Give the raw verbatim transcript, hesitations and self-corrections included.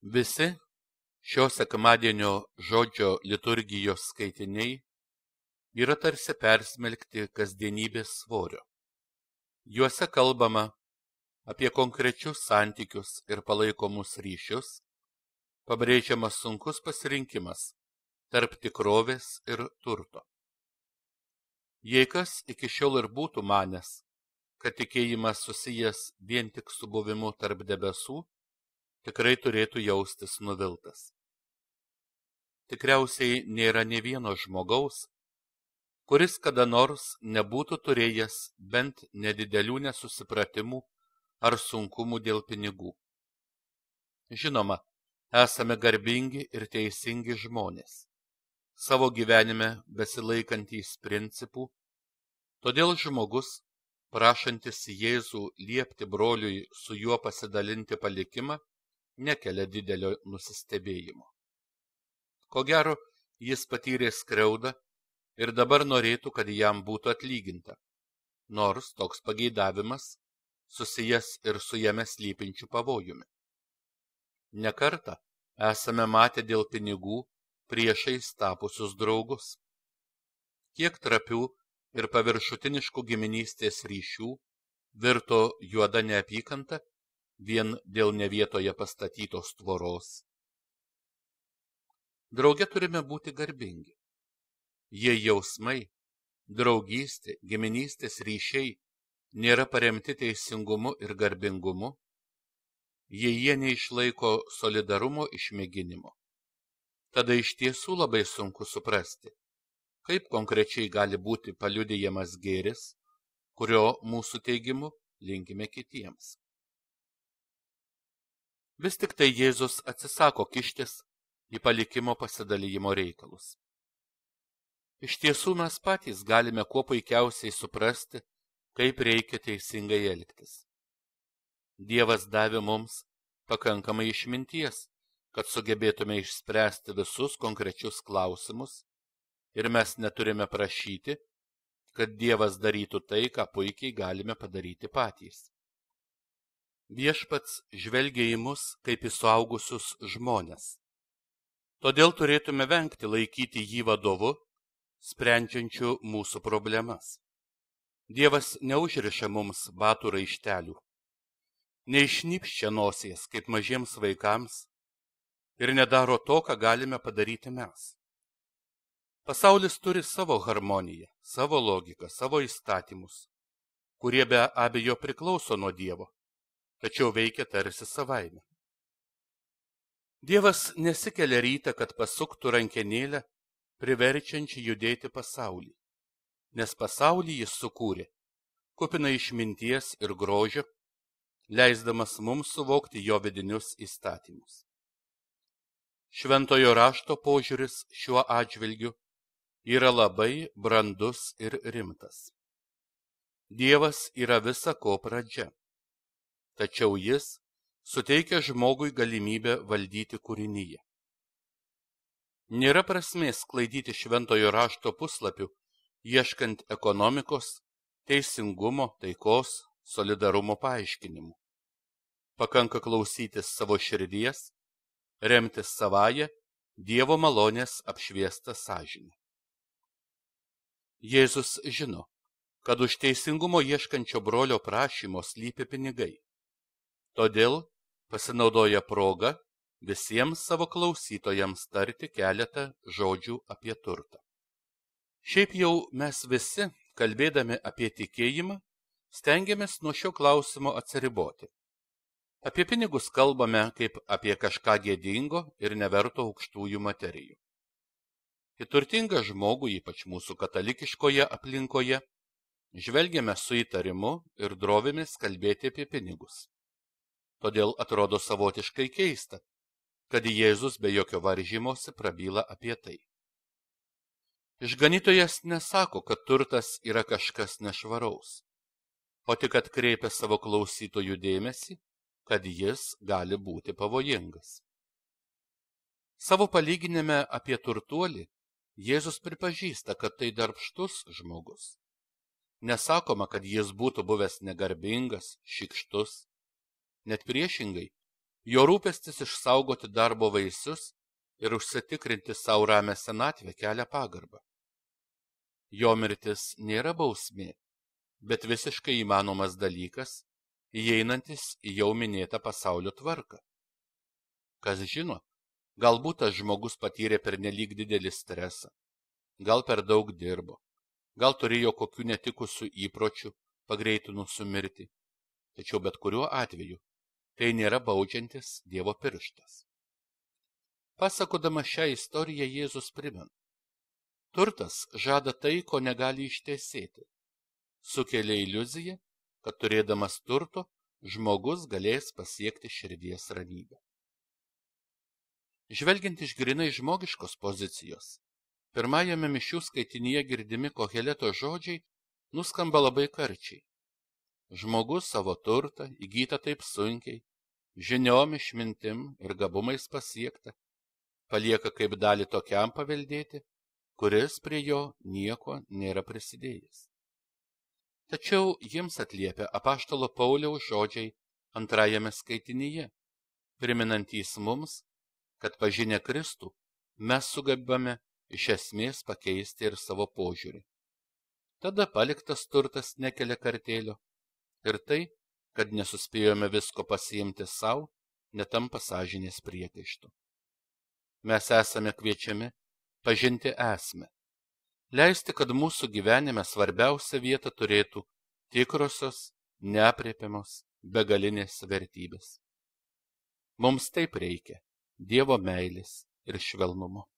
Visi šio sekmadienio žodžio liturgijos skaitiniai yra tarsi persmelkti kasdienybės svorio. Juose kalbama apie konkrečius santykius ir palaikomus ryšius, pabrėžiamas sunkus pasirinkimas tarp tikrovės ir turto. Jei kas iki šiol ir būtų manęs, kad tikėjimas susijęs vien tik su buvimu tarp debesų, tikrai turėtų jaustis nuviltas. Tikriausiai nėra nė vieno žmogaus, kuris kada nors nebūtų turėjęs bent nedidelių nesusipratimų ar sunkumų dėl pinigų. Žinoma, esame garbingi ir teisingi žmonės, savo gyvenime besilaikantys principų, todėl žmogus, prašantis Jėzų liepti broliui su juo pasidalinti palikimą, nekelia didelio nusistebėjimo. Ko gero, jis patyrė skriaudą ir dabar norėtų, kad jam būtų atlyginta, nors toks pageidavimas susijęs ir su jame slypinčiu pavojumi. Ne kartą esame matę dėl pinigų priešais tapusius draugus. Kiek trapių ir paviršutiniškų giminystės ryšių virto juoda neapykanta vien dėl ne vietoje pastatytos tvoros. Drauge turime būti garbingi. Jei jausmai, draugystė, giminystės ryšiai nėra paremti teisingumu ir garbingumu, jei jie neišlaiko solidarumo išmėginimo, tada iš tiesų labai sunku suprasti, kaip konkrečiai gali būti paliudijamas gėris, kurio mūsų teigimu linkime kitiems. Vis tik tai Jėzus atsisako kištis į palikimo pasidalijimo reikalus. Iš tiesų mes patys galime kuo puikiausiai suprasti, kaip reikia teisingai elgtis. Dievas davė mums pakankamai išminties, kad sugebėtume išspręsti visus konkrečius klausimus, ir mes neturime prašyti, kad Dievas darytų tai, ką puikiai galime padaryti patys. Viešpats žvelgia į mus kaip į suaugusius žmones. Todėl turėtume vengti laikyti jį vadovu, sprendžiančiu mūsų problemas. Dievas neužriša mums batų raištelių, neišnypščia nosies kaip mažiems vaikams ir nedaro to, ką galime padaryti mes. Pasaulis turi savo harmoniją, savo logiką, savo įstatymus, kurie be abejo priklauso nuo Dievo, tačiau veikia tarsi savaime. Dievas nesikelia rytą, kad pasuktų rankenėlę, priverčiančią judėti pasaulį, nes pasaulį jis sukūrė, kupina išminties ir grožio, leisdamas mums suvokti jo vidinius įstatymus. Šventojo rašto požiūris šiuo atžvilgiu yra labai brandus ir rimtas. Dievas yra visa ko pradžia, tačiau jis suteikia žmogui galimybę valdyti kūrinyje. Nėra prasmės sklaidyti šventojo rašto puslapių, ieškant ekonomikos, teisingumo, taikos, solidarumo paaiškinimų. Pakanka klausytis savo širdies, remtis savąją, Dievo malonės apšviestą sąžinę. Jėzus žino, kad už teisingumo ieškančio brolio prašymo slypi pinigai. Todėl pasinaudoja progą visiems savo klausytojams tarti keletą žodžių apie turtą. Šiaip jau mes visi, kalbėdami apie tikėjimą, stengiamės nuo šio klausimo atsiriboti. Apie pinigus kalbame kaip apie kažką gėdingo ir neverto aukštųjų materijų. Į turtingą žmogų, ypač mūsų katalikiškoje aplinkoje, žvelgiame su įtarimu ir drovimės kalbėti apie pinigus. Todėl atrodo savotiškai keista, kad Jėzus be jokio varžymosi prabyla apie tai. Išganytojas nesako, kad turtas yra kažkas nešvaraus, o tik atkreipia savo klausytojų dėmesį, kad jis gali būti pavojingas. Savo palyginime apie turtuolį Jėzus pripažįsta, kad tai darbštus žmogus. Nesakoma, kad jis būtų buvęs negarbingas, šykštus. Net priešingai, Jo rūpestis išsaugoti darbo vaisius ir užsitikrinti savo ramę senatvę kelia pagarbą. Jo mirtis nėra bausmė, bet visiškai įmanomas dalykas, įeinantis į jau minėtą pasaulio tvarką. Kas žino, galbūt tas žmogus patyrė pernelyg didelį stresą, gal per daug dirbo, gal turėjo kokių netikusių įpročių pagreitinusių mirtį, tačiau bet kuriuo atveju tai nėra baudžiantis Dievo pirštas. Pasakodama šią istoriją Jėzus primena: turtas žada tai, ko negali ištesėti. Sukelia iliuziją, kad turėdamas turto, žmogus galės pasiekti širdies ramybę. Žvelgiant iš grinai žmogiškos pozicijos, pirmajame mišių skaitinyje girdimi Koheleto žodžiai nuskamba labai karčiai. Žmogus savo turtą, įgytą taip sunkiai, žiniom, išmintim ir gabumais pasiekta, palieka kaip dalį tokiam paveldėti, kuris prie jo nieko nėra prisidėjęs. Tačiau jiems atliepia apaštalo Pauliaus žodžiai antrajame skaitinyje, priminantys mums, kad pažinę Kristų mes sugebame iš esmės pakeisti ir savo požiūrį. Tada paliktas turtas nekelia kartėlio ir tai, kad nesuspėjome visko pasiimti savo, netampa sąžinės priekaištu. Mes esame kviečiami pažinti esmę, leisti, kad mūsų gyvenime svarbiausia vieta turėtų tikrosios, neaprėpiamos, begalinės vertybės. Mums taip reikia Dievo meilės ir švelnumo.